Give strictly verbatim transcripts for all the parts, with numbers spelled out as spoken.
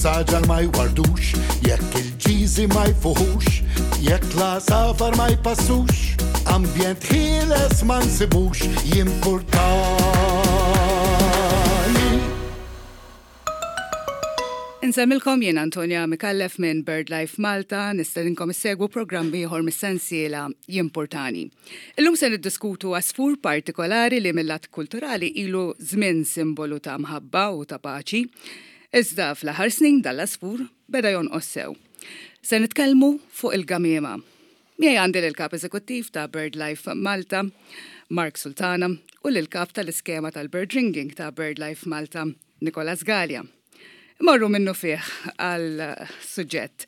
Is-saġar ma jwardux, jekk il-ġiżi ma jfuħux, jekk l-għasafar ma jpassux, ambjent ħieles ma nsibux, jimpurtani. Insellmilkom, jien Antonia Micallef minn BirdLife Malta, nistedinkom issegwu programm ieħor mis-sensiela Jimpurtani. Illum se niddiskutu għasfur partikolari li mill-lat kulturali ilu żmien simbolu ta' mħabba u ta' paċi. Iżda fl-aħħar snin dal-għasfur beda jonqos sew. Se nitkellmu fuq il-gamiema. Miegħi għandi l-kap eżekuttiv ta' BirdLife Malta, Mark Sultana, u l-kap tal-iskema tal-Bird Ringing ta' BirdLife Malta, Nicolas Galea. Morru minnufih għal suġġett.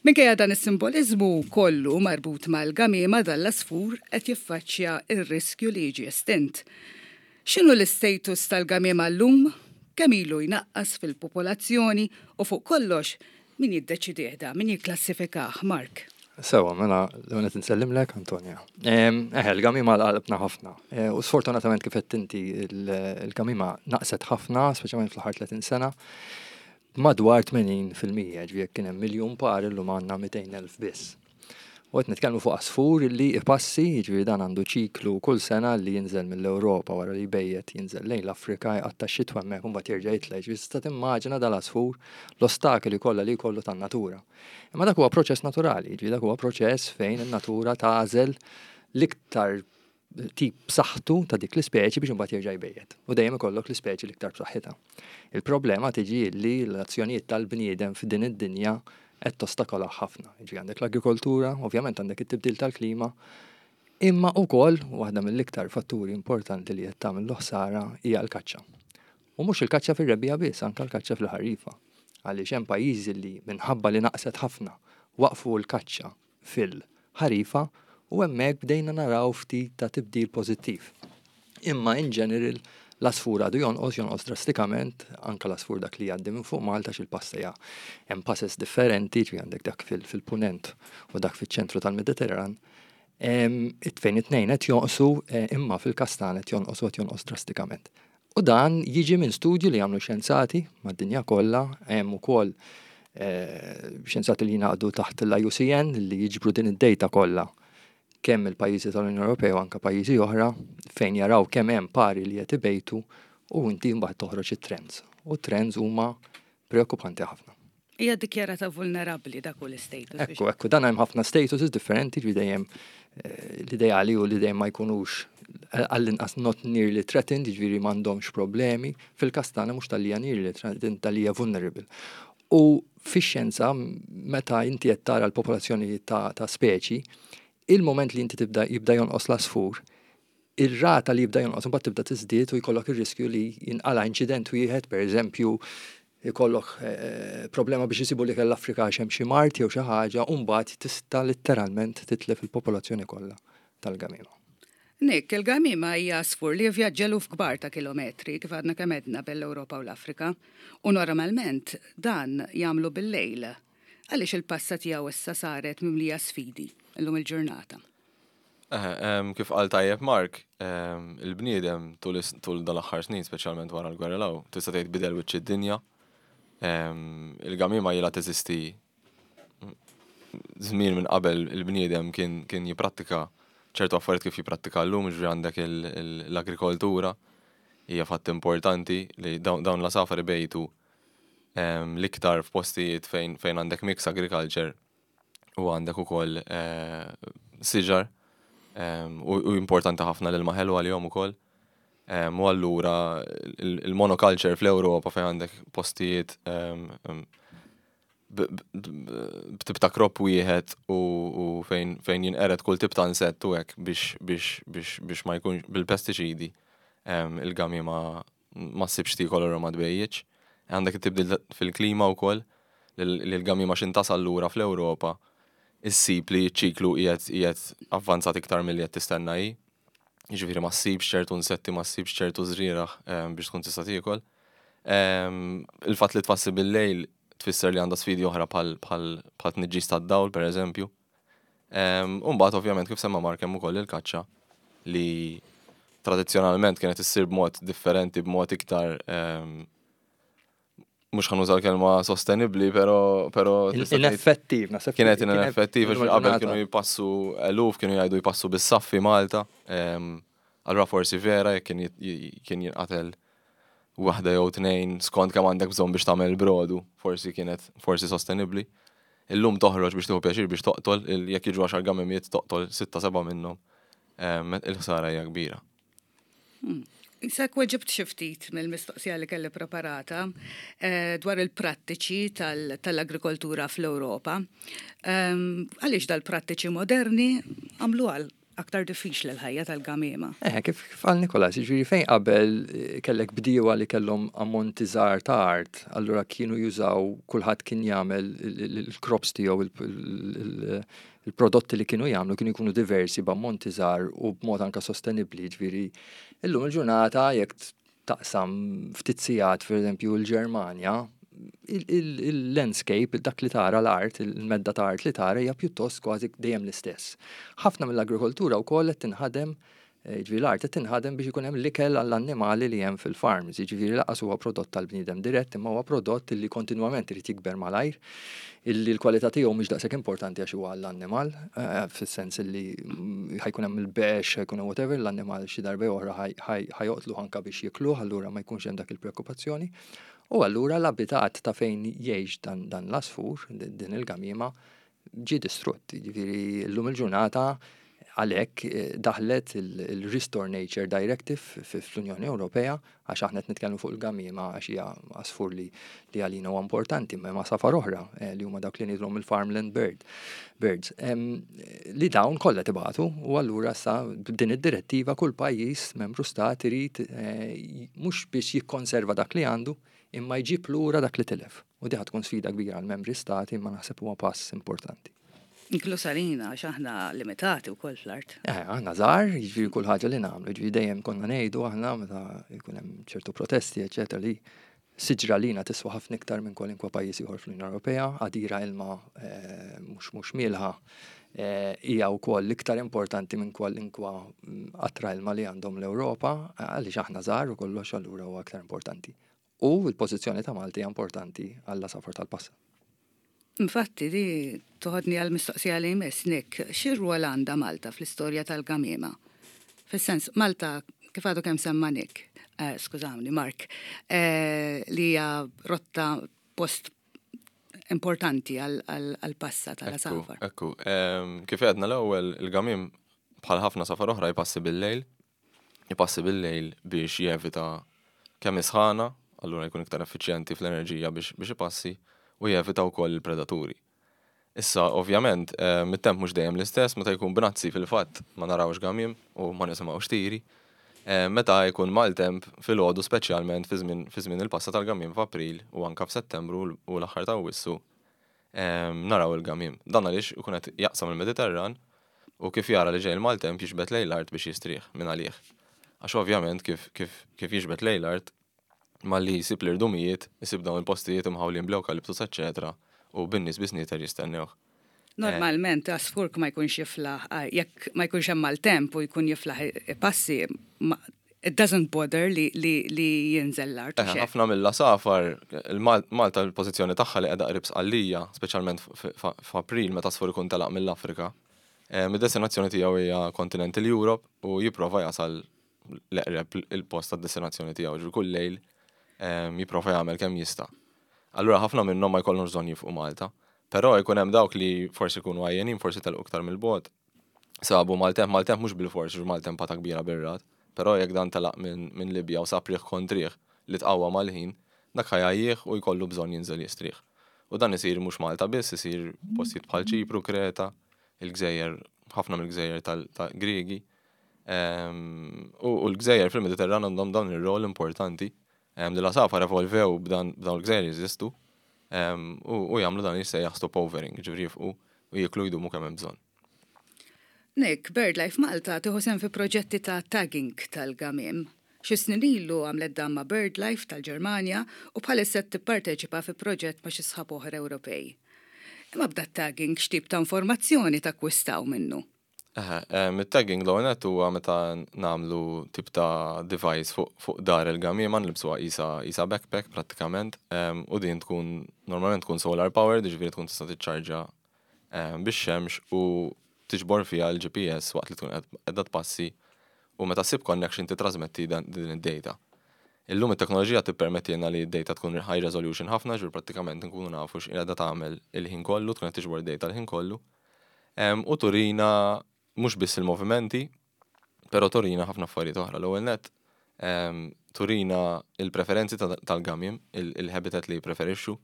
Minkejja dan is-simbolizmu kollu marbut mal-gamiema, dal-għasfur qed jiffaċċja ir-riskju li jiġi estint. X'inhu l-istatus tal-gamiema llum? Kemm ilu jnaqqas fil-popolazzjoni u fuq kollox min jiddeċidih da, min jikklassifikah, Mark? Sewa, mela, l-għonet nsellimlek, Antonia. Eħe, il-gamiema għal qalbna ħafna. E, u sfortunatament, kif inti, il-gamiema naqset ħafna, speċjalment fl-aħħar tletin sena, madwar tmenin fil-mija, ġifieri jekk kien hemm miljun par, illum għandna mitejn elf biss. U qed nitkellmu fuq għasfur li ipassi, ġifieri dan għandu ċiklu kull sena li jinżel mill-Ewropa wara li jbejjet, jinżel lejn l-Afrika, jqatta' xitwa hemmhekk u mbagħad jerġa' jitla'. Ġifieri tista' timmaġina dal-għasfur l-ostakoli kollha li jkollu tan-natura. Imma dak huwa proċess naturali, ġifieri dak huwa proċess fejn in-natura tagħżel l-iktar tip b'saħħtu ta' dik l-ispeċi biex imbagħad jerġa' jbejjet. U dejjem ikollok l-ispeċi l-iktar b'saħħitha. Il-problema tiġi li l-azzjonijiet tal-bniedem f'din id-dinja qed tostakola ħafna. Jiġifieri għandek l-agrikoltura, ovvjament għandek it-tibdil tal-klima, imma wkoll waħda mill-iktar fatturi importanti li qed tagħmel ħsara hija l-kaċċa. U mhux il-kaċċa fir-rebbiegħa biss, anke l-kaċċa fil-ħarifa. Għaliex hemm pajjiżi li minħabba li naqset ħafna waqfu l-kaċċa fil-ħarifa u hemmhekk bdejna naraw ftit ta' tibdil pożittiv. Imma in general l-għasfur għadu jonqos, jonqos drastikament, anka l-għasfur dak li jgħaddi minn fuq Malta, xil-passa hemm passes differenti, ġifieri għandek dak fil-punent u dak fil-ċentru tal-Mediterran, it fejn it-tnejn qed jonqsu, eh, imma fil-kastan qed jonqos u qed jonqos drastikament. U dan jiġi minn studju li jagħmlu xjenzati mad-dinja kollha, hemm ukoll eh, xjenzati li jingħaqdu taħt l-I U C N li jiġbru din id-data kollha kemm il-pajjiżi tal-Unjoni Ewropea u anke pajjiżi oħra, fejn jaraw kemm hemm pari li qed ibejtu u inti mbagħad toħroġ it-trends. U trends huma preokkupanti ħafna. Hija dikjarata vulnerabbli, dak hu l-status. Ekku, ekku, dan hemm ħafna statuses differenti, ġifieri dejjem eh, l-ideali u li dejjem ma jkunux eh, għall-inqas not nearly threatened, ġifieri m'għandhomx problemi. Fil-każ tagħna mhux talli nearly threatened, talli vulnerable. U fix-xjenza, meta inti qed tara l-popolazzjoni ta', ta speċi, il-moment li inti tibda jibda jonqos l-għasfur, ir-rata li jibda jonqos mbagħad tibda tiżdied u jkollok ir-riskju li jinqala inċident wieħed, pereżempju, jkollok eh, problema biex jisibu li l-Afrika għax hemm xi mard jew xi ħaġa, u mbagħad tista' letteralment titlef il-popolazzjoni kollha tal-gamiema. Nick, il-gamiema hija għasfur li vjaġġa eluf kbar ta' kilometri, kif għadna kemm għedna, bejn l-Ewropa u l-Afrika, u normalment dan jagħmlu bil-lejl. Għaliex il-passa tiegħu issa saret mimlija sfidi illum il-ġurnata? Eh, kif qal tajjeb Mark, il-bniedem tul tul dal-aħħar snin, speċjalment wara l-gwerra law, tista' tgħid bidel wiċċ id-dinja. Il-gamiema ilha teżisti żmien minn qabel il-bniedem kien kien jipprattika ċertu affarijiet kif jipprattika llum, ġifieri għandek l-agrikoltura hija fatt importanti li dawn l-għasafar ibejtu l-iktar f'postijiet fejn fejn għandek mix agriculture u għandek ukoll eh, siġar u importanti ħafna l-ilma ħelu għalihom ukoll. U allura il-monoculture fl-Ewropa fejn għandek postijiet b'tip ta' crop wieħed u fejn fejn jinqered kull tip ta' insett u hekk biex biex biex biex ma jkunx bil-pestiċidi, il-gamiema ma ssibx tiekol u ma tbejjitx. Għandek it-tibdil fil-klima wkoll li l-gamiema x'ħin tasal lura fl-Ewropa issib li ċiklu qiegħed qiegħed avvanzat iktar milli qed tistenna hi. Jiġifieri ma ssibx ċertu insetti, ma ssibx ċertu żrieragħ biex tkun tista' tiekol. Il-fatt li tpassi bil-lejl tfisser li għandha sfidi oħra bħal tniġġis tad-dawl, pereżempju. U mbagħad ovvjament, kif semma Mark, hemm ukoll il-kaċċa li tradizzjonalment kienet issir b'mod differenti, b'mod iktar Mhux ħa nuża l-kelma sostenibbli, pero pero Ineffettiv, naħseb. Kienet ineffettiv, qabel kienu jpassu eluf, kienu jgħidu jpassu bis-saffi Malta. Allura forsi vera jekk kien jinqatel waħda jew tnejn skont kemm għandek bżonn biex tagħmel brodu, forsi kienet forsi sostenibbli. Illum toħroġ biex tieħu pjaċir biex toqtol, jekk jiġu għaxar gamimiet toqtol sitta seba' minnhom. Il-ħsara hija kbira. Hmm. Issa weġibt xi ftit mill-mistoqsija li kelli preparata eh, dwar il-prattiċi tal-agrikoltura fl-Ewropa. Ehm, għaliex dal-prattiċi moderni għamlu għal aktar diffiċli l-ħajja tal-gamiema? Eh, kif qal Nikolas, ġifieri fejn qabel eh, kellek bdiewa li kellhom ammonti żgħar ta' art, allura kienu jużaw, kulħadd kien jagħmel il-crops tiegħu, il-prodotti li kienu jagħmlu kienu jkunu diversi b'ammonti żgħar u b'mod anka sostenibbli, ġifieri illum il-ġurnata jekk taqsam ftit sigħat, per eżempju, l-Ġermanja, il-landscape, dak li tara l-art, il-medda ta' art li tara hija pjuttost kważi dejjem l-istess. Ħafna mill-agrikoltura wkoll qed tinħadem, eh, ġifieri l-art qed tinħadem biex ikun hemm l-ikel għall-annimali li hemm fil-farms, jiġifieri lanqas huwa prodott tal-bniedem dirett, imma huwa prodott li kontinwament irid jikber malajr, illi l-kwalità tiegħu mhix daqshekk importanti għax huwa għall-annimal, eh, fis-sens illi ħa jkun hemm il-bex, ħa jkun hemm whatever, l-annimal xi darba oħra ħa joqtlu anka biex jikluh, allura ma jkunx hemm dak il-preokkupazzjoni. U allura l-abitat ta' fejn jgħix dan, dan l-asfur, din il-gamima, ġi distrutt. Ġifieri llum il-ġurnata għalhekk eh, daħlet il-Restore Nature Directive fl-Unjoni Ewropea, għax aħna qed nitkellmu fuq il-gamima għax hija għasfur li li għalina huwa importanti, ma għasafar oħra eh, li huma dawk li ngħidulhom il-farmland bird birds. Li dawn kollha tibatu u allura sa b'din id-direttiva kull pajjiż membru stat irid eh, mhux biex jikkonserva dak li għandu, imma jġib lura dak li tilef. U di tkun sfida kbira għal membri stati, imma naħseb huwa pass importanti. Inkluż għalina, għax aħna limitati u koll fl-art. Eh, aħna żgħar, jiġifieri kull ħaġa li nagħmlu, jiġifieri dejjem konna ngħidu aħna meta jkun hemm ċertu protesti, eċetera, li siġra lina tiswa ħafna iktar minn kwalinkwa pajjiż ieħor fl-Unjoni Ewropea, għadira ilma eh, mhux mhux mielħa eh, hija wkoll iktar importanti minn kwalinkwa mm, qatra ilma li għandhom l-Ewropa, għaliex aħna żgħar u kollox, allura huwa aktar importanti. U l-pożizzjoni ta' Malti hija importanti għall-għasafar tal-passa. Infatti, di toħodni għal mistoqsija li jmiss, Nick, xi rwol għandha Malta fl-istorja tal-gamiema? Fis-sens, Malta, kif għadu kemm semma Nick, eh, skużawni, Mark, eh, li hija rotta, post importanti għal-passa tal-għasafar. Ekku, kif għedna l-ewwel, il-gamim bħal ħafna għasafar oħra jpassi bil-lejl, jpassi bil-lejl biex jevita kemm isħana, allura jkun iktar effiċjenti fl-enerġija biex biex ipassi u jevita wkoll il-predaturi. Issa, ovvjament, mit-temp mhux dejjem l-istess, meta jkun bnazzi fil-fatt ma narawx gamim u ma nisimgħux tiri. Meta jkun maltemp filgħodu, speċjalment fi żmien il-passa tal-gamim f'April u anka f'Settembru u l-aħħar ta' Awwissu, naraw il-gamim. Dan għaliex ikun qed jaqsam il-Mediterran u kif jara li ġej il-maltemp jiġbed lejn l-art biex jistrieħ minn għalih. Għax ovvjament kif kif kif jiġbed lejn l-art, malli jisib l-irdumijiet, jisib dawn il-postijiet imħawlin bl-eukaliptus, eċetera, u bin-nies bis-snieter jistennewh. Normalment, għasfur ma jkunx jiflaħ, jekk ma jkunx hemm maltemp u jkun jiflaħ passi, it doesn't bother li, li, li jinżel l-art. Eh, ħafna mill-għasafar, Malta l-pożizzjoni tagħha li qiegħda qrib Sqallija, speċjalment f'April meta għasfur ikun telaq mill-Afrika. Id-destinazzjoni tiegħu hija Continental Europe u jipprova jasal l-eqreb il-post tad-destinazzjoni tiegħu, ġifieri kull lejl jipprova jagħmel kemm jista'. Allura ħafna minnhom ma jkollhomx bżonn jifqu Malta. Però jkun hemm dawk li forsi jkunu għajjenin, forsi telqu iktar mill-bogħod. Sabu maltemp, maltemp mhux bil-fors, maltempata kbira bir-ragħad, però jekk dan telaq minn min Libja u sab riħ kontrih li tqawwa mal-ħin, dak ħa jgħajjih u jkollu bżonn jinżel jistrieħ. U dan isir mhux Malta biss, isir postijiet bħal Ċipru, Kreta, il-gżejjer, ħafna mill-gżejjer tal-Griegi. U l-gżejjer fil-Mediterran għandhom dawn ir-rol importanti li l-għasafar evolvew b'dan l-gżejjer jeżistu u jagħmlu dan jissejjaħ stopovering, ġifieri jifqu u jiklu, jdumu kemm hemm bżonn. Nick, BirdLife Malta tieħu sehem fi proġetti ta' tagging tal-gamim. Xi snin ilu għamlet dan ma' BirdLife tal-Ġermanja u bħalissa tipparteċipa fi proġett ma' xi sħab oħra Ewropej. Imma b'dat-tagging x'tip ta' informazzjoni takkwistaw minnu? Eħe, it-tagging l-ewwel huwa meta nagħmlu tip ta' device fuq fuq dahar il-gamiema, nilbsuha qisha qisha backpack prattikament, u din tkun normalment tkun solar powered, jiġifieri tkun tista' tiċċarġa bix-xemx u tiġbor fiha l-G P S waqt li tkun qiegħda tpassi u meta ssib connection titrasmetti din id-data. Illum it-teknoloġija tippermettilna li d-data tkun high resolution ħafna, ġifieri prattikament nkunu nafu x'qiegħda tagħmel il-ħin kollu, tkun qed tiġbor data l-ħin kollu. U turina mhux biss il-movimenti, però turina ħafna affarijiet oħra. L-ewwel net turina il-preferenzi tal-gamiem, il-habitat li jippreferixxu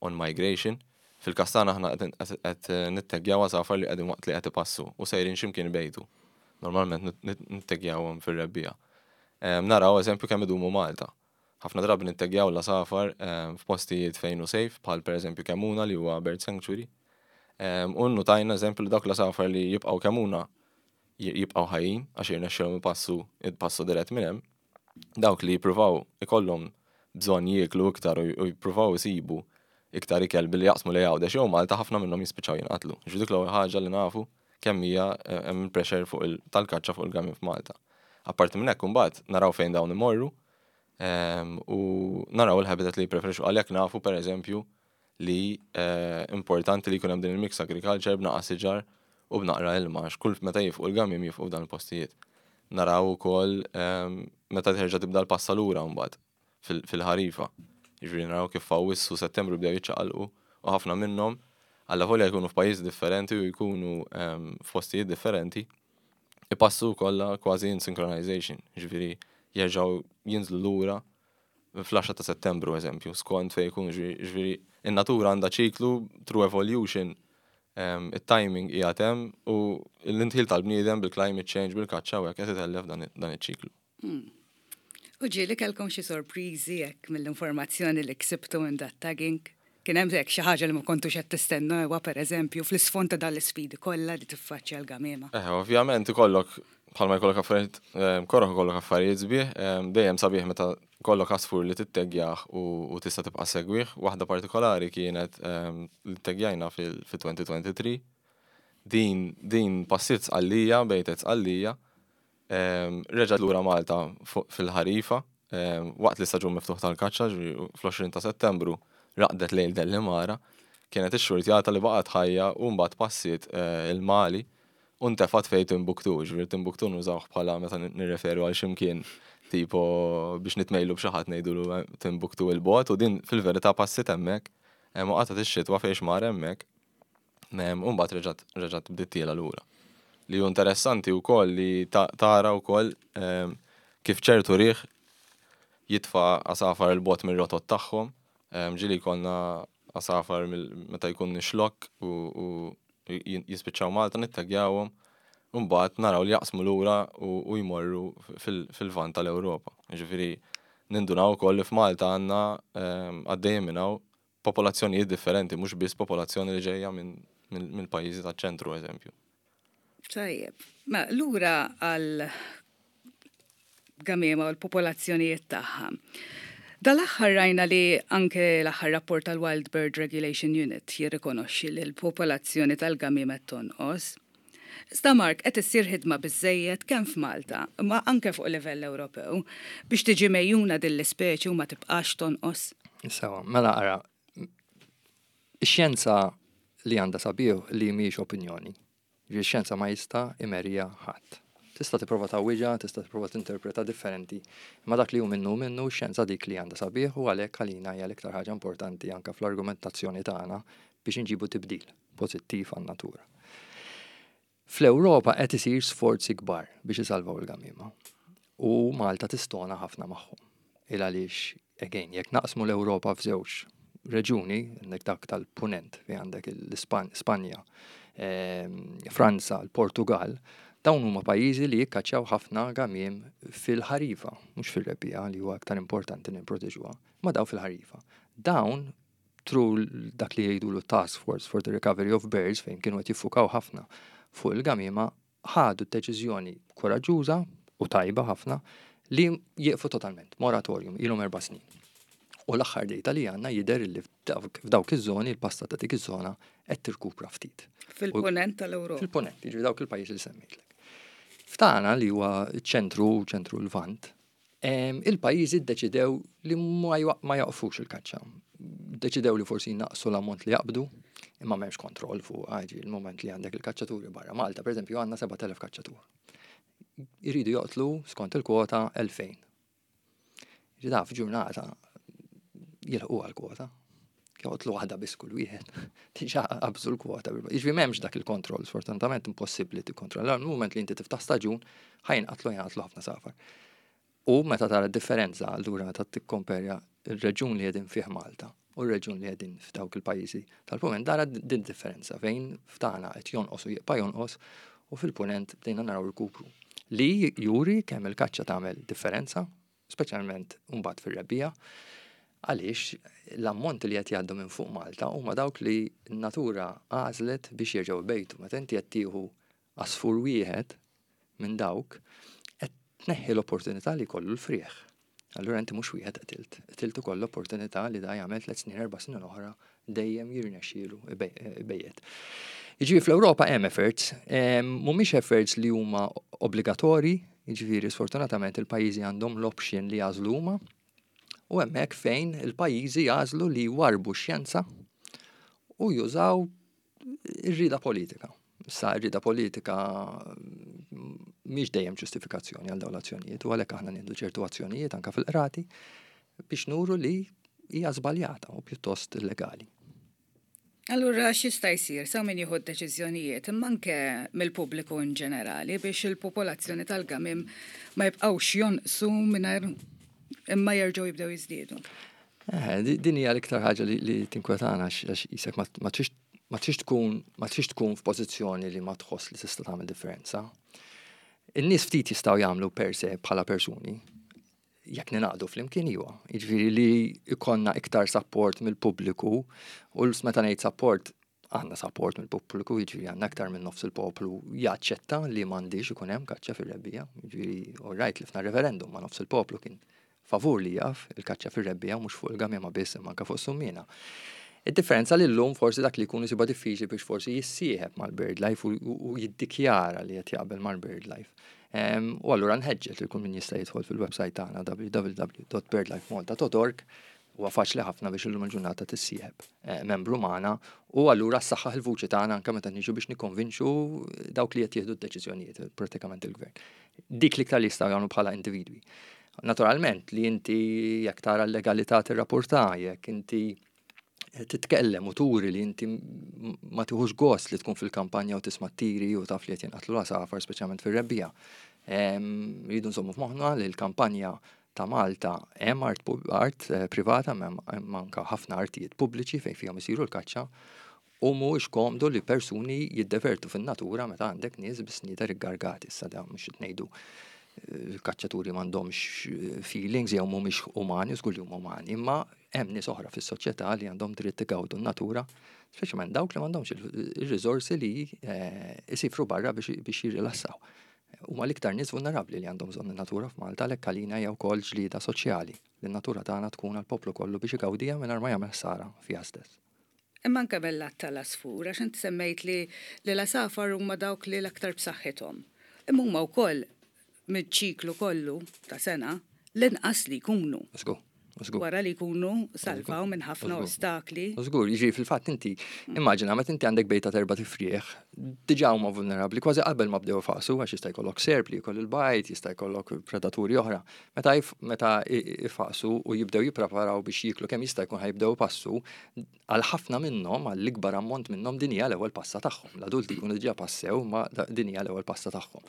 on migration. Fil-każ tagħna aħna qed nitteggjaw għasafar li qegħdin waqt li qed ipassu u sejrin x'imkien ibejtu. Normalment nitteggjawhom fir-rebbiegħa. Naraw eżempju kemm idumu Malta. Ħafna drabi nitteggjaw l-għasafar f'postijiet fejn hu safe, bħal pereżempju Kemmuna li huwa bird sanctuary. U notajna eżempju li dawk l-għasafar li jibqgħu Kemmuna jibqgħu ħajjin għax jirnexxilhom ipassu ipassu dirett minn hemm. Dawk li jippruvaw ikollhom bżonn jieklu iktar u jippruvaw isibu iktar ikel billi jaqsmu lejn Għawdex jew Malta, ħafna minnhom jispiċċaw jinqatlu. Ġifieri dik l-ewwel ħaġa li nafu kemm hija hemm pressure fuq tal-kaċċa fuq il-gamiem f'Malta. Apparti minn hekk, imbagħad naraw fejn dawn imorru u naraw il-habitat li jippreferixxu. Għalhekk nafu, pereżempju, li importanti li jkun hemm din il-mix agriculture b'naqra siġar u b'naqra ilma, għax kull meta jifqu l-gamiem jifqu f'dan il-postijiet. Naraw ukoll meta terġa' tibda l-passa lura mbagħad fil-ħarifa. Jiġifieri naraw kif f'Awwissu, Settembru bdew jiċċaqalqu u ħafna minnhom, allavolja jkunu f'pajjiżi differenti u jkunu f'postijiet differenti, ipassu kollha kważi in synchronization, jiġifieri jerġgħu jinżlu lura fl-għaxra ta' Settembru eżempju, skont fejn jkunu. Ġifieri in-natura għandha ċiklu through evolution, it-timing qiegħed hemm u l-indħil tal-bniedem bil-climate change, bil-kaċċa u hekk qed itellef dan iċ-ċiklu. Hmm. U ġieli kellkom xi sorpriżi hekk mill-informazzjoni li ksibtu minn dat tagging? Kien hemm hekk xi ħaġa li ma kontux qed tistennu ewa, pereżempju, fl-isfond ta' dan l-isfidi kollha li tiffaċċja l-gamiema? Eh, ovvjament ikollok, bħalma jkollok affarijiet koroh ikollok affarijiet sbieħ, dejjem sabiħ meta jkollok għasfur li tittegjaħ u tista' tibqa' segwih. Waħda partikolari kienet li tteggjajna fil-elfejn u tlieta u għoxrin. Din din passiet Sqallija, bejtet Sqallija, reġgħet lura Malta fil-ħarifa, waqt li staġun miftuħ tal-kaċċa, fl-għoxrin ta' Settembru, raqdet lejl Delimara, kienet ix-xurtjata li baqgħet ħajja u mbagħad passiet il-Mali u ntefat fejn Timbuktu. Ġifieri Timbuktu nużawh bħala meta nirreferu għal ximkien tipo biex nitmejlu b'xi ħadd, ngħidulu Timbuktu il-bogħod, u din fil-verità passiet hemmhekk u qatgħet ix-xitwa fejn mar hemmhekk u mbagħad reġgħet reġgħet bdiet tiela lura. Li hu interessanti wkoll li tara wkoll kif ċertu riħ jitfa' għasafar il-bogħod mir-rotot tagħhom. Ġieli jkollna għasafar meta jkun ix-Xlokk u jispiċċaw Malta, nitteggjawhom, u mbagħad naraw li jaqsmu lura u jmorru fil-Lvant tal-Ewropa. Ġifieri nindunaw ukoll li f'Malta għandna għaddejjin minn hawn popolazzjonijiet differenti, mhux biss popolazzjoni li ġejja mill-pajjiżi taċ-ċentru, eżempju. Tajjeb, ma lura għal gamiema u l-popolazzjonijiet tagħha. Dal-aħħar rajna li anke l-aħħar rapport tal-Wild Bird Regulation Unit jirrikonoxxi li l-popolazzjoni tal-gamiema tonqos. Iżda Mark, qed issir ħidma biżejjed kemm f'Malta, ma anke fuq livell Ewropew, biex tiġi megħjuna din l-ispeċi u ma tibqax tonqos? Sewa, mela ara, ix-xjenza li għandha sabiħ li mhijiex opinjoni. Ix-xjenza ma jista' imerija ħadd. Tista' tipprova tgħawwiġha, tista' tipprova tinterpreta differenti, imma dak li hu minnu minnu, xjenza dik li għandha sabiħ u għalhekk għalina hija l-iktar ħaġa importanti anke fl-argumentazzjoni tagħna biex inġibu tibdil pożittiv għan-natura. Fl-Ewropa qed isir sforzi kbar biex isalvaw il-gamiema. U Malta tistona ħafna magħhom. Il għaliex, again, jekk naqsmu l-Ewropa f'żewġ reġuni, għandek dak tal-Punent, fi għandek l-Spanja, ehm, Franza, l-Portugal, dawn huma pajjiżi li jikkaċċjaw ħafna gamiem fil-ħarifa, mhux fil-rebbiegħa li huwa aktar importanti nipproteġuha, ma daw fil-ħarifa. Dawn through dak li jgħidu l-Task Force for the Recovery of Birds, fejn kienu qed jiffukaw ħafna fuq il-gamiema, ħadu deċiżjoni koraġġuża u tajba ħafna li jieqfu totalment, moratorium, ilhom erba' snin. U l-aħħar data li għandna jidher li f'dawk iż-żoni, il-pasta ta' dik iż-żona qed tirkupra ftit. Fil-ponent tal-Ewropa. Fil-ponent, jiġifieri dawk il-pajjiżi li semmejtlek. F'tagħna, li huwa ċentru, ċentru l-Lvant, il-pajjiżi ddeċidew li ma jaqfux il-kaċċa. Deċidew li forsi naqsu l-ammont li jaqbdu, imma m'hemmx kontroll fuq għaġi il-moment li għandek il-kaċċaturi barra. Malta, per eżempju, għandna sebat elef kaċċatur. Iridu joqtlu skont il-kwota elfejn. Ġida f'ġurnata jilħqu għal-kwota. Joqtlu waħda biss kull wieħed. Diġà qabżu l-kwota. Jiġifieri m'hemmx dak il-kontroll, sfortunatament impossibbli tikkontrolla. Il-moment li inti tiftaħ staġun, ħa jinqatlu jinqatlu ħafna għasafar. U meta tara differenza, allura meta tikkomperja il-reġun li qegħdin fih Malta u r-reġun li qegħdin f'dawk il-pajjiżi tal-punent, tara din differenza fejn f'tagħna qed jonqos u jibqa' jonqos u fil-punent bdejna naraw rkupru. Li juri kemm il-kaċċa tagħmel differenza, speċjalment mbagħad fir-rebbiegħa, għaliex l-ammonti li qed jgħaddu minn fuq Malta huma dawk li n-natura għażlet biex jerġgħu jbejtu. Meta inti qed tieħu għasfur wieħed minn dawk, qed tneħħi l-opportunità li jkollu l-frieħ. Allura inti mhux wieħed qtilt, qtilt ukoll l-opportunità li da jagħmel tliet snin, erba' snin oħra dejjem jirnexxielu ibejjet. Jiġifieri fl-Ewropa hemm efforts, mhumiex efforts li huma obbligatorji, jiġifieri sfortunatament il-pajjiżi għandhom l-option li jagħżlu huma, u hemmhekk fejn il-pajjiżi jagħżlu li jwarbu xjenza u jużaw ir-rida politika. Sa r-rida politika mhix dejjem ġustifikazzjoni għal dawn l-azzjonijiet u għalhekk aħna nieħdu ċertu azzjonijiet anke fil-qrati biex nuru li hija żbaljata u pjuttost illegali. Allura x'jista' jsir sa min jieħu deċiżjonijiet, imma anke mill-pubbliku in ġenerali, biex il-popolazzjoni tal-gamim ma jibqgħux jonqsu mingħajr imma jerġgħu jibdew jiżdiedu? Eh, din hija l-iktar ħaġa li, li tinkwetana għax jisek ma trix ma trix tkun ma trix tkun f'pożizzjoni li ma tħoss li tista' tagħmel differenza. In-nies ftit jistgħu jagħmlu per se bħala persuni, jekk ninaqdu flimkien iwa. Jiġifieri li ikollna iktar support mill-pubbliku u meta ngħid support, għandna support mill-pubbliku, jiġifieri għandna aktar minn nofs il-poplu jaċċetta li m'għandix ikun hemm kaċċa fir-rebbiegħa. Jiġifieri all right li fna referendum ma' nofs il-poplu kien favur li jaf il-kaċċa fir-rebbiegħa, mhux fuq il-gamiema biss imma anke fuq summiena. Id-differenza li l-lum forsi dak li jkunu siba diffiċli biex forsi jissieħeb mal-BirdLife u jiddikjara li qed jaqbel mal-BirdLife. U allura nħeġġeġ li kull min jista' jidħol fil-website tagħna W W W dot birdlifemalta dot org. Huwa faċli ħafna biex illum il-ġurnata tissieħeb eh, membru magħna u allura ssaħħaħ il-vuċi tagħna anke meta niġu biex nikkonvinċu dawk li qed jieħdu d-deċiżjonijiet, pratikament il-gvern. Dik l-iktar li jistgħu jagħmlu bħala individwi. Naturalment li inti jekk tara l-legalità tirrapporta, jekk inti titkellem u turi li inti ma tiħux gost li tkun fil-kampanja u tisma' tiri u taf li qed jinqatlu l-għasafar, speċjalment fir-rebbiegħa. Rridu nżommu f'moħħna li l-kampanja ta' Malta hemm art, art eh, privata, hemm anke ħafna artijiet pubbliċi fejn fihom isiru l-kaċċa u mhuwiex komdu li persuni jiddevertu fin-natura meta għandek nies bis-snieder iggargati. Issa da mhux qed ngħidu eh, kaċċaturi m'għandhomx eh, feelings jew mhumiex umani, żgur li huma umani, imma hemm nies oħra fis-soċjetà li għandhom dritt igawdu n-natura, speċjalment dawk li m'għandhomx il-riżorsi li isifru barra biex jirrilassaw. Huma l-iktar nies vulnerabbli li għandhom bżonn in-natura f'Malta, għalhekk għalina hija wkoll ġlieda soċjali li n-natura tagħna tkun għall-poplu kollu biex igawdiha mingħajr ma jagħmel ħsara fiha stess. Imma anke mill-lat tal-għasfur, għax inti semmejt li li l-għasafar huma dawk li l-aktar b'saħħithom. Imma huma wkoll mill-ċiklu kollu ta' sena l-inqas li jkunu. Żgur, żgur. Wara li jkunu salvaw minn ħafna ostakli. Żgur, jiġi fil-fatt inti, immaġina meta inti għandek bejta t'erbat ifrieħ, diġà huma vulnerabbli kważi qabel ma bdew faqsu, għax jista' jkollok serp li jkoll il-bajd, jista' jkollok predaturi oħra. Meta meta ifaqsu u jibdew jippreparaw biex jiklu kemm jista' jkun, ħa jibdew passu, għal ħafna minnhom, għall ikbar ammont minnhom, din hija l-ewwel passa tagħhom. L-adulti jkunu diġà passew, ma din hija l-ewwel passa tagħhom.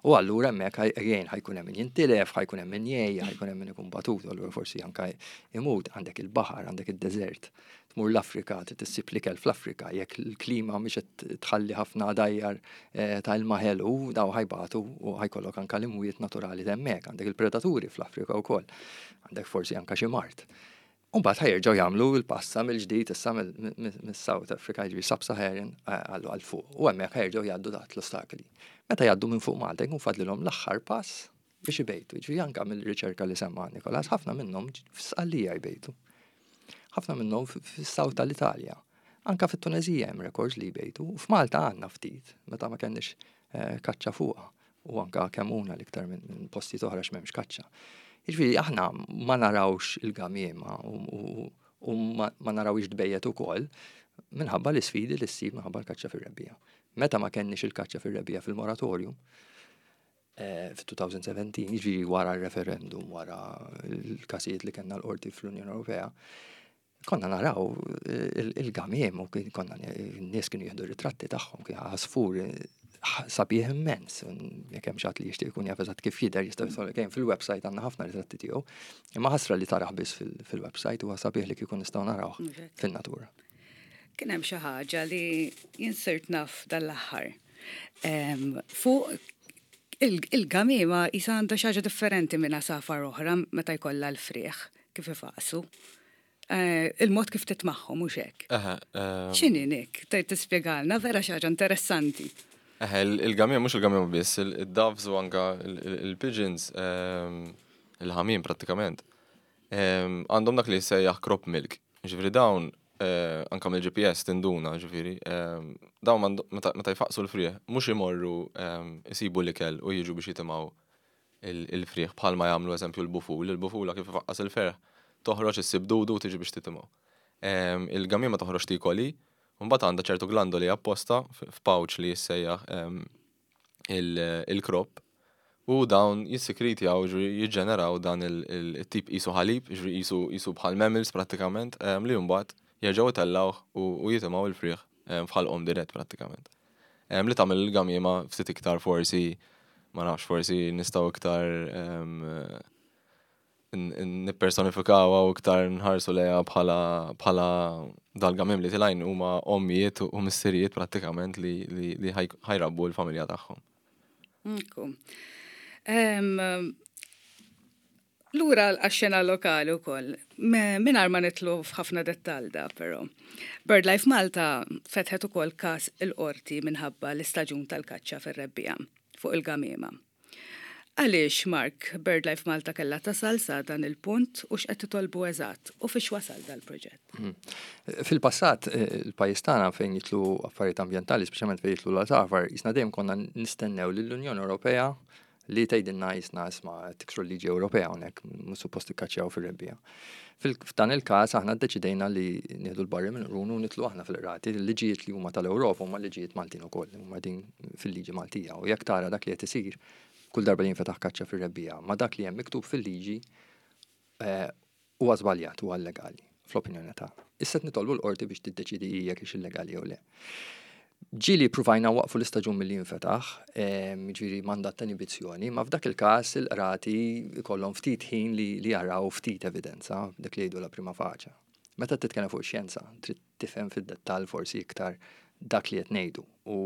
U allura hemmhekk again ħa jkun hemm min jintilef, ħa jkun hemm min jgħejja, ħa jkun hemm min ikun batut, allura forsi anke imut. Għandek il-baħar, għandek id-deżert. Tmur l-Afrika, tissib l-ikel fl-Afrika, jekk il-klima mhix qed tħalli ħafna għadajjar eh, ta' ilma ħelu, daw ħa jbatu u ħa jkollok anke l-imwiet naturali hemmhekk, għandek il-predaturi fl-Afrika wkoll, għandek forsi anke xi mard. Umbagħad ħa jerġgħu jagħmlu l-passa mill-ġdid issa mill-South Africa, jiġifieri Sub-Saharan, għallu għal fuq. U hemmhekk ħa jerġgħu jgħaddu taħt l-ostakli. Meta jgħaddu minn fuq Malta jkun fadlilhom l-aħħar pass biex ibejtu. Jiġifieri anke mill-riċerka li semma Nikolas, ħafna minnhom f'Sqallija jbejtu. Ħafna minnhom fis-south tal-Italja. Anka fit-Tunezija hemm records li jbejtu. U f'Malta għandna ftit, meta ma kenniex eh, kaċċa fuqha. U anka Kemmuna l-iktar minn postijiet oħra x'm'hemmx kaċċa. Jiġifieri aħna ma narawx il-gamiema u ma narawx tbejjet ukoll minħabba l-isfidi li ssib minħabba l-kaċċa fir-rebbiegħa. Meta ma kenniex il-kaċċa fir-rebbiegħa fil-moratorium, eh, fil-elfejn u sbatax, jiġifieri wara l-referendum, wara l-każijiet li kellna l-qorti fl-Unjoni Ewropea, konna naraw il-gamiem u konna n-nies kienu jieħdu ritratti tagħhom, kien għasfur sabiħ immens. Jekk hemm xi ħadd li jixtieq ikun jaf eżatt kif jidher jista' jidħol kemm fil-website, għandna ħafna ritratti tiegħu. Imma ħasra li tarah biss fil-website, huwa sabiħ li kieku nistgħu narawh fin-natura. Kien hemm xi ħaġa li jien sirt naf dal-aħħar. Fuq il-gamiema jisa għandha xi ħaġa differenti minn għasafar oħra meta jkollha l-frieħ kif ifaqsu. Eh, il-mod kif titmagħhom mhux hekk. X'inhi, Nick? Tgħid tispjegalna, vera xi ħaġa interessanti. Eħe, il-gamiema, mhux il-gamiema biss, il-doves u anka il-pigeons, il-ħamiem prattikament, għandhom dak li jissejjaħ crop milk. Ġifieri dawn, eh, anka mill-G P S tinduna, ġifieri, dawn meta jfaqsu l-frieħ, mhux imorru isibu l-ikel u jiġu biex jitimgħu il-frieħ bħalma jagħmlu eżempju l-buful. Il-bufula kif ifaqqas il-ferħ, toħroġ issib dudu u tiġi biex titimgħu. Il-gamiema toħroġ tiekol, mbagħad għandha ċertu glandoli apposta f'pouch li jissejjaħ il-crop u dawn jissikritjaw, jiġġeneraw dan il-tip qisu ħalib, qisu bħal mammals prattikament, li mbagħad jerġgħu itellgħuh u jitimgħu il-frieħ f'ħalqhom dirett prattikament. Li tagħmel il-gamiema ftit iktar forsi, ma nafx, forsi nistgħu iktar nippersonifikawha u iktar nħarsu lejha bħala bħala dal-gamiem li tilgħin huma ommijiet u missirijiet prattikament li, li, li ħa jrabbu l-familja tagħhom. Ekku. Lura għax-xena lokali u koll, mingħajr ma nidħlu f'ħafna dettal da, pero. BirdLife Malta fetħet ukoll kas il-qorti minħabba l-istaġun tal-kaċċa fir-rebbiegħa fuq il-gamiema. Għaliex, Mark, BirdLife Malta kella tasal sa dan il-punt u x'qed titolbu eżatt u fiex wasal dal-proġett? Mhm. Fil-passat, eh, il-pajjiż tagħna fejn jidħlu affarijiet ambjentali, speċjalment fejn jidħlu l-għasafar, jisna dejjem konna nistennew lill-Unjoni Ewropea li tgħidilna jisna isma' tiksru l-liġi Ewropea hawnhekk, mhux suppost tikkaċċjaw fir-rebbiegħa. F'dan il-każ aħna ddeċidejna li nieħdu l-barri minn qrunu u nidħlu aħna fil-qrati. Il-liġijiet li huma tal-Ewropa huma liġijiet Maltin ukoll, huma din fil-liġi Maltija. U jekk tara dak li qed isir kull darba li jinfetaħ kaċċa fir-rebbiegħa, ma dak li hemm miktub fil-liġi eh, huwa żbaljat, huwa illegali, fl-opinjoni tagħna. Issa qed nitolbu l-qorti biex tiddeċidi jekk hix illegali jew le. Ġieli provajna nwaqqfu l-istaġun milli jinfetaħ, ġifieri mandat ta' inibizzjoni, ma f'dak il-każ il-qrati kollhom ftit ħin li, li jaraw ftit evidenza, dak li jgħidu la prima facie. Meta titkellem fuq xjenza, trid tifhem fid-dettall forsi iktar dak li qed ngħidu. U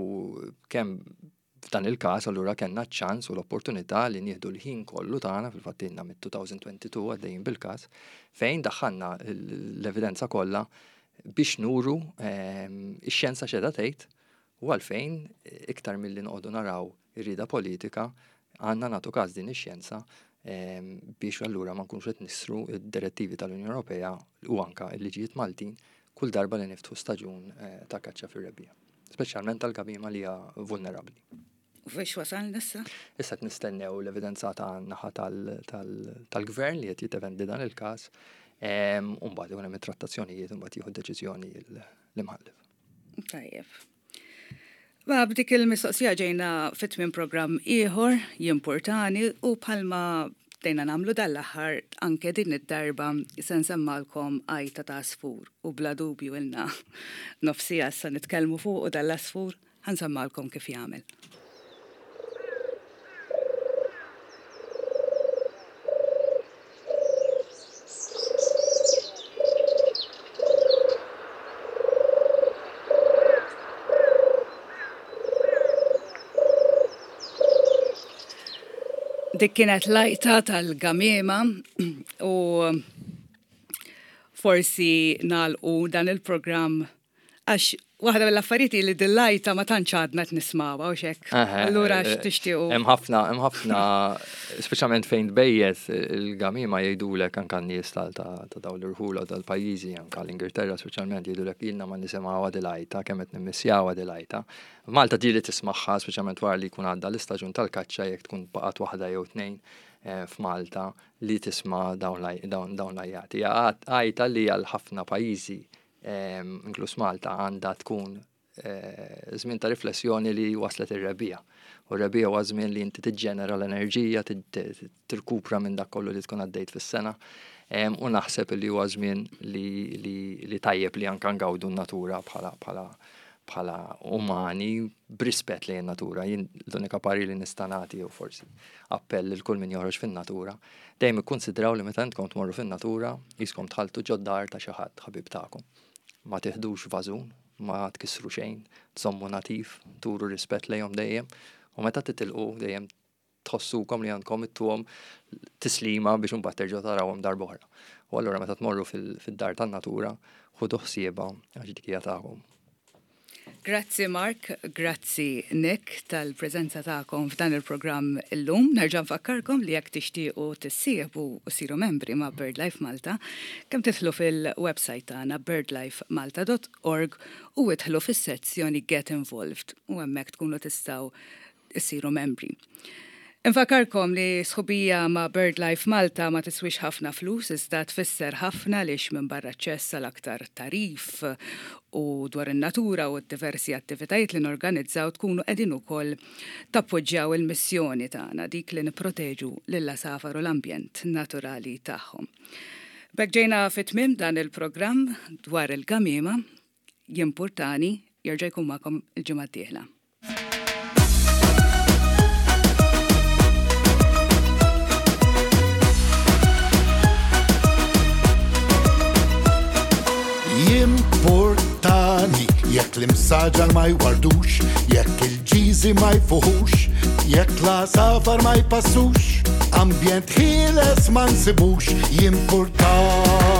kemm f'dan il-każ allura kellna ċans u l-opportunità li nieħdu l-ħin kollu tagħna, fil-fatt ilna mit-elfejn u tnejn u għoxrin għaddejjin bil-każ, fejn daħħalna l-evidenza kollha biex nuru ix-xjenza x'qiegħda tgħid u għalfejn iktar milli noqogħdu naraw ir-rieda politika għandna nagħtu każ din ix-xjenza biex allura ma nkunux qed niksru id-direttivi tal-Unjoni Ewropea u anka l-liġijiet Maltin kull darba li niftħu staġun eh, ta' kaċċa fir-rebbiegħa. Speċjalment tal-gamiema li hija vulnerabbli. U fiex wasal issa? Issa qed nistennew l-evidenza ta' naħa tal-gvern li qed jiddefendi dan il-każ. U mbagħad ikun hemm it-trattazzjonijiet u mbagħad jieħu deċiżjoni l-imħallef. Tajjeb. Ma b'dik il-mistoqsija ġejna fit minn programm ieħor Jimpurtani u bħalma bdejna nagħmlu dal-aħħar, anke din id-darba se nsemmagħlkom għajta ta' għasfur u bla dubju ilna nofs siegħa issa nitkellmu fuq u dal-għasfur ħa nsemmagħlkom kif jagħmel. Dik kienet l-għajta tal-gamiema u forsi nagħlqu dan il-programm għax Waħda mill-affarijiet li dil-għajta ma tantx għadna qed nismawha u xek. Allura eh, x'tixtiequ? Hemm ħafna, hemm ħafna, speċjalment fejn tbejjet il-gamima jgħidulek anke n-nies ta' dawn l-irħula tal-pajjiżi, anke l-Ingilterra speċjalment jgħidulek ilna ma nisimgħuha dil-għajta, kemm qed nimmissjawha dil-għajta. Malta ġieli tismagħha speċjalment wara li jkun għadda l-istaġun tal-kaċċa jekk tkun baqgħet waħda jew tnejn eh, f'Malta li tisma' dawn l-għajjati. Għajta li għal ħafna pajjiżi inkluż Malta għandha tkun eh, żmien ta' riflessjoni li waslet ir-rebbiegħa. U r-rebbiegħa huwa żmien li inti tiġġenera l-enerġija, tirkupra minn dak kollu li tkun għaddejt fis-sena. U naħseb li huwa żmien li tajjeb li anke ngawdu n-natura bħala bħala bħala umani b'rispett lejn natura. Jien l-unika parir li nista' nagħti jew forsi appell lil kull min joħroġ fin-natura, dejjem ikkonsidraw li meta intkom tmorru fin-natura qiskom dħaltu ġod-dar ta' xi ħadd ħabib tagħkom. Ma tiħdux vażun, ma tkissru xejn, tżommu nadif, turu rispett lejhom dejjem, u meta titilqu dejjem tħossukom li għandkom ittuhom tislima biex imbagħad terġgħu tarawhom darb'oħra. U allura meta tmorru fid-dar tan-natura, ħudu ħsiebha għax dik hija tagħkom. Grazzi Mark, grazzi Nick tal-preżenza tagħkom f'dan il-programm illum. Nerġa' nfakkarkom li jekk tixtiequ tissieħbu u ssiru membri ma' BirdLife Malta, kemm tidħlu fil-website tagħna birdlifemalta dot org u idħlu fis-sezzjoni Get Involved u hemmhekk tkunu tistgħu issiru membri. Infakarkom li sħubija ma' BirdLife Malta ma tiswix ħafna flus, iżda tfisser ħafna lix minn barra aċċess għal aktar tagħrif u dwar in-natura u diversi attivitajiet li norganizzaw tkunu qegħdin ukoll tappoġġjaw il-missjoni tagħna, dik li nipproteġu lill-għasafar u l-ambjent naturali tagħhom. B'hekk ġejna fit-tmiem dan il-programm dwar il-gamima. Jimpurtani jerġa' jkun magħkom il-ġimgħa d-dieħla. Jimpurtani jekk l-imsaġar ma jwardux, jekk il-ġiżi ma jfuħux, jekk l-għasafar ma jpassux, ambjent ħieles ma nsibux, jimpurtani.